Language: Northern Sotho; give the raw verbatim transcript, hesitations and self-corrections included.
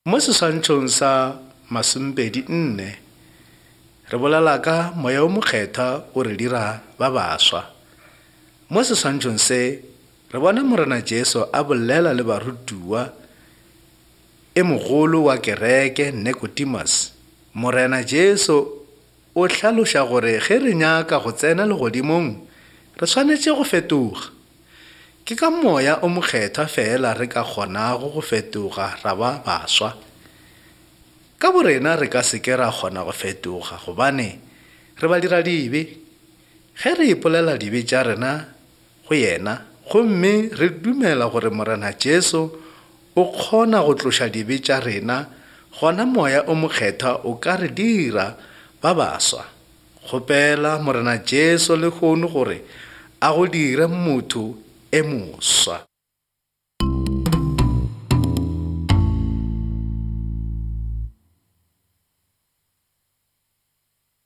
Mo seswantšhong sa masomepedi nne re bolela ka Moya o Mokgethwa o re dira ba baswa. Mo seswantšhong se re bona Morena Jesu a bolela le barutiwa e mogolo wa kereke Nicodemus. Morena Jesu o hlaloša gore ge re nyaka go tsena legodimong re swanetše go fetoga. Ke ka Moya o Mokgethwa fela re ka kgonago go fetoga ra ba baswa. Ka borena re ka se ke ra kgona go fetoga gobane re ba dira dibe. Ge re ipolela dibe tša rena go yena gomme re dumela gore Morena Jesu o kgona go tloša dibe tša rena, gona Moya o Mokgethwa o ka re dira ba baswa. Kgopela Morena Jesu lehono gore a go dire motho e moswa.